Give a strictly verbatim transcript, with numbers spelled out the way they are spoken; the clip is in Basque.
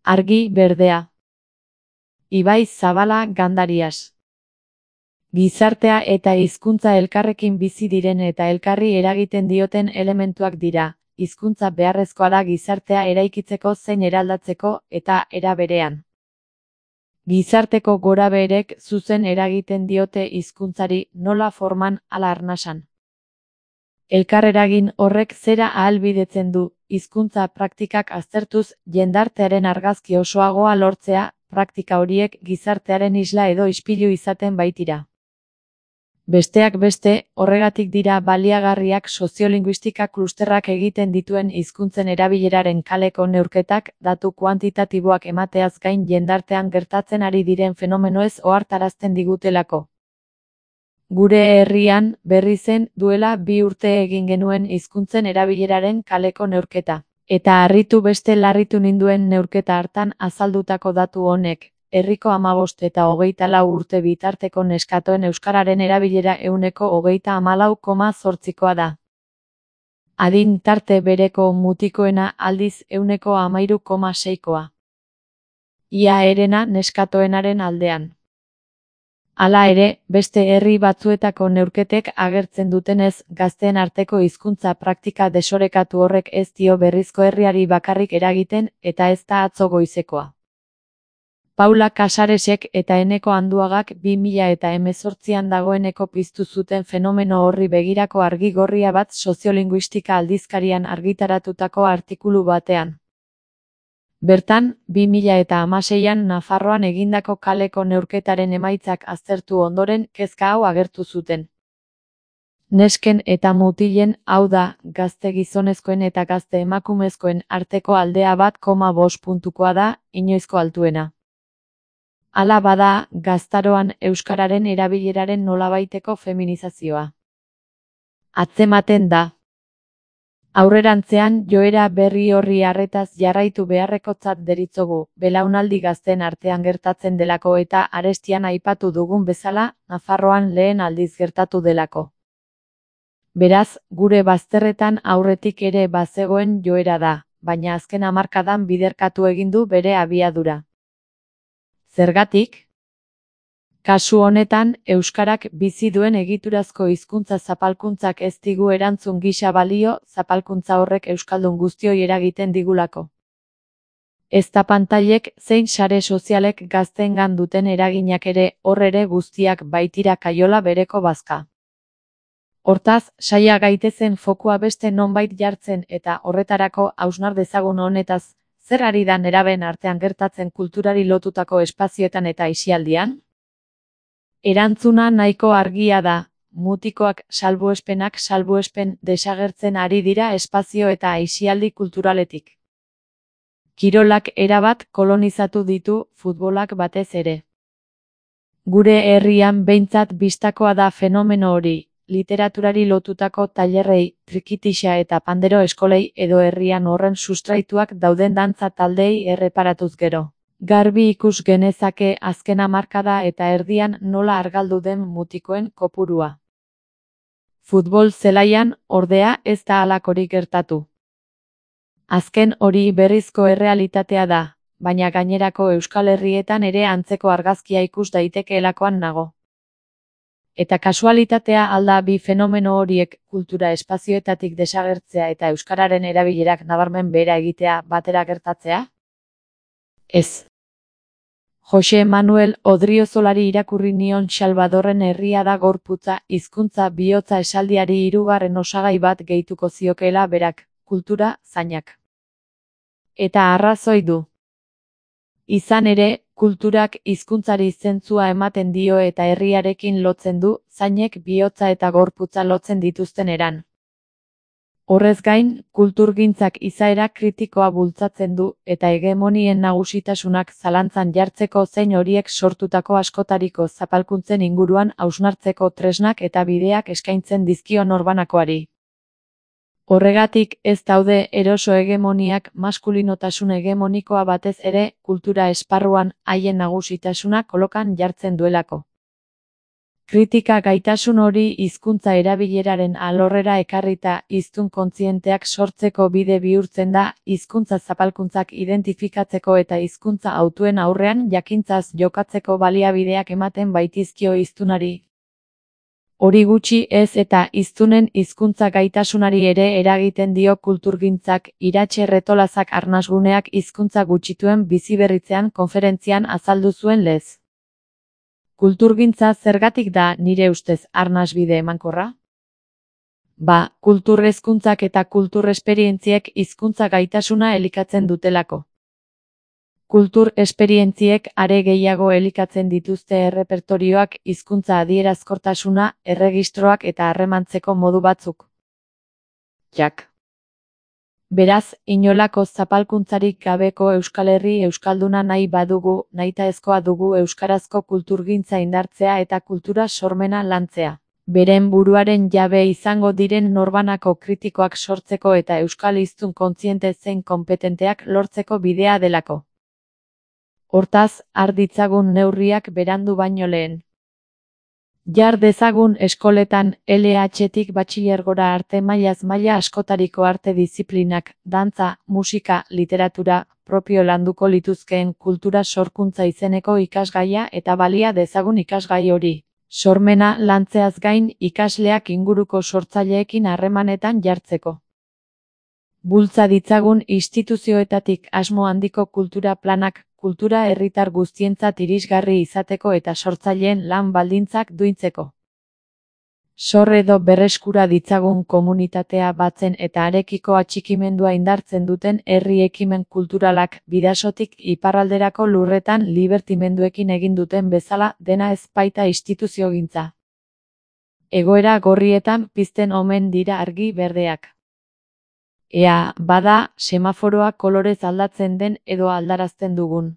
Argi berdea. Ibai Zabala Gandarias. Gizartea eta hizkuntza elkarrekin bizi diren eta elkarri eragiten dioten elementuak dira. Hizkuntza beharrezkoa da gizartea eraikitzeko zein eraldatzeko eta era berean. Gizarteko gorabeherek zuzen eragiten diote hizkuntzari nola forman ala arnasan. Elkarreragin horrek zera ahalbidetzen du, hizkuntza praktikak aztertuz jendartearen argazki osoagoa lortzea, praktika horiek gizartearen isla edo ispilu izaten baitira. Besteak beste, horregatik dira baliagarriak soziolinguistika klusterrak egiten dituen hizkuntzen erabileraren kaleko neurketak, datu kuantitatiboak emateaz gain jendartean gertatzen ari diren fenomenoez ohartarazten digutelako. Gure herrian, berri zen, duela bi urte egin genuen hizkuntzen erabileraren kaleko neurketa. Eta harritu beste larritu ninduen neurketa hartan azaldutako datu honek, herriko hamabost eta hogeita lau urte bitarteko neskatoen euskararen erabilera ehuneko hogeita hamalau koma zortzikoa da. Adin tarte bereko mutikoena aldiz ehuneko hamairu koma seikoa. Ia herena neskatoenaren aldean. Hala ere, beste herri batzuetako neurketek agertzen dutenez, gazteen arteko hizkuntza praktika desorekatu horrek ez dio berrizko herriari bakarrik eragiten eta ez da atzo goizekoa. Paula Casaresek eta Eneko Anduagak bi mila eta hemezortzian dagoeneko piztu zuten fenomeno horri begirako argi gorria bat soziolinguistika aldizkarian argitaratutako artikulu batean. Bertan, bi mila eta hamaseian Nafarroan egindako kaleko neurketaren emaitzak aztertu ondoren kezka hau agertu zuten. Nesken eta mutilen, hau da, gazte gizonezkoen eta gazte emakumezkoen arteko aldea bat koma bost puntukoa da, inoizko altuena. Hala bada, gaztaroan euskararen erabileraren nolabaiteko feminizazioa. Atzematen da. Aurrerantzean joera berri horri arretaz jarraitu beharrekotzat deritzogu, belaunaldi gazteen artean gertatzen delako eta arestian aipatu dugun bezala, Nafarroan lehen aldiz gertatu delako. Beraz, gure bazterretan aurretik ere bazegoen joera da, baina azken hamarkadan biderkatu egin du bere abiadura. Zergatik? Kasu honetan, euskarak bizi duen egiturazko hizkuntza zapalkuntzak ez digu erantzun gisa balio, zapalkuntza horrek euskaldun guztioi eragiten digulako. Ezta pantailek zein sare sozialek gazteengan duten eraginak ere, hor ere guztiak baitira kaiola bereko bazka. Hortaz, saia gaitezen fokua beste nonbait jartzen eta horretarako hausnar dezagun honetaz, zer ari da nerabeen artean gertatzen kulturari lotutako espazioetan eta aisialdian? Erantzuna nahiko argia da, mutikoak salbuespenak salbuespen desagertzen ari dira espazio eta aisialdi kulturaletik. Kirolak erabat kolonizatu ditu, futbolak batez ere. Gure herrian behintzat bistakoa da fenomeno hori, literaturari lotutako tailerrei, trikitixa eta pandero eskolei edo herrian horren sustraituak dauden dantza taldeei erreparatuz gero. Garbi ikus genezake azken hamarkada eta erdian nola argaldu den mutikoen kopurua. Futbol zelaian, ordea, ez da halakorik gertatu. Azken hori berrizko errealitatea da, baina gainerako Euskal Herrietan ere antzeko argazkia ikus daitekeelakoan nago. Eta kasualitatea alda bi fenomeno horiek kultura espazioetatik desagertzea eta euskararen erabilerak nabarmen behera egitea batera gertatzea? Ez. Jose Manuel Odriozolari irakurri nion Salvadorren herria da gorputza, hizkuntza bihotza esaldiari hirugarren osagai bat gehituko ziokeela berak, kultura, zainak. Eta arrazoi du. Izan ere, kulturak hizkuntzari zentzua ematen dio eta herriarekin lotzen du, zainek bihotza eta gorputza lotzen dituzten eran. Horrez gain, kulturgintzak izaera kritikoa bultzatzen du, eta hegemonien nagusitasunak zalantzan jartzeko zein horiek sortutako askotariko zapalkuntzen inguruan hausnartzeko tresnak eta bideak eskaintzen dizkio norbanakoari. Horregatik ez daude eroso hegemoniak maskulinotasun hegemonikoa batez ere, kultura esparruan haien nagusitasuna kolokan jartzen duelako. Kritika gaitasun hori hizkuntza erabileraren alorrera ekarrita hiztun kontzienteak sortzeko bide bihurtzen da, hizkuntza zapalkuntzak identifikatzeko eta hizkuntza hautuen aurrean jakintzaz jokatzeko baliabideak ematen baitizkio hiztunari. Hori gutxi ez eta hiztunen hizkuntza gaitasunari ere eragiten dio kulturgintzak, Iratxe Retolazak Arnasguneak hizkuntza gutxituen biziberritzean konferentzian azaldu zuen lez. Kulturgintza zergatik da, nire ustez, arnasbide emankorra? Ba, kultur hezkuntzak eta kultur esperientziek hizkuntza gaitasuna elikatzen dutelako. Kultur esperientziek are gehiago elikatzen dituzte errepertorioak, hizkuntza adierazkortasuna, erregistroak eta harremantzeko modu batzuk. Jak. Beraz, inolako zapalkuntzarik gabeko Euskal Herri euskalduna nahi badugu, nahitaezkoa dugu euskarazko kulturgintza indartzea eta kultura sormena lantzea. Beren buruaren jabe izango diren norbanako kritikoak sortzeko eta euskal hiztun kontziente zein konpetenteak lortzeko bidea delako. Hortaz, har ditzagun neurriak berandu baino lehen. Jar dezagun eskoletan L H-tik batxilergora arte mailaz maila askotariko arte diziplinak, dantza, musika, literatura, propio landuko lituzkeen kultura sorkuntza izeneko ikasgaia eta balia dezagun ikasgai hori. Sormena lantzeaz gain ikasleak inguruko sortzaileekin harremanetan jartzeko. Bultza ditzagun instituzioetatik asmo handiko kultura planak, kultura herritar guztientzat irisgarri izateko eta sortzaileen lan baldintzak duintzeko. Sor edo berreskura ditzagun komunitatea batzen eta arekiko atxikimendua indartzen duten herri ekimen kulturalak, Bidasotik iparralderako lurretan libertimenduekin egin duten bezala, dena ez baita instituziogintza. Egoera gorrietan pizten omen dira argi berdeak. Ea, bada, semaforoa kolorez aldatzen den edo aldarazten dugun.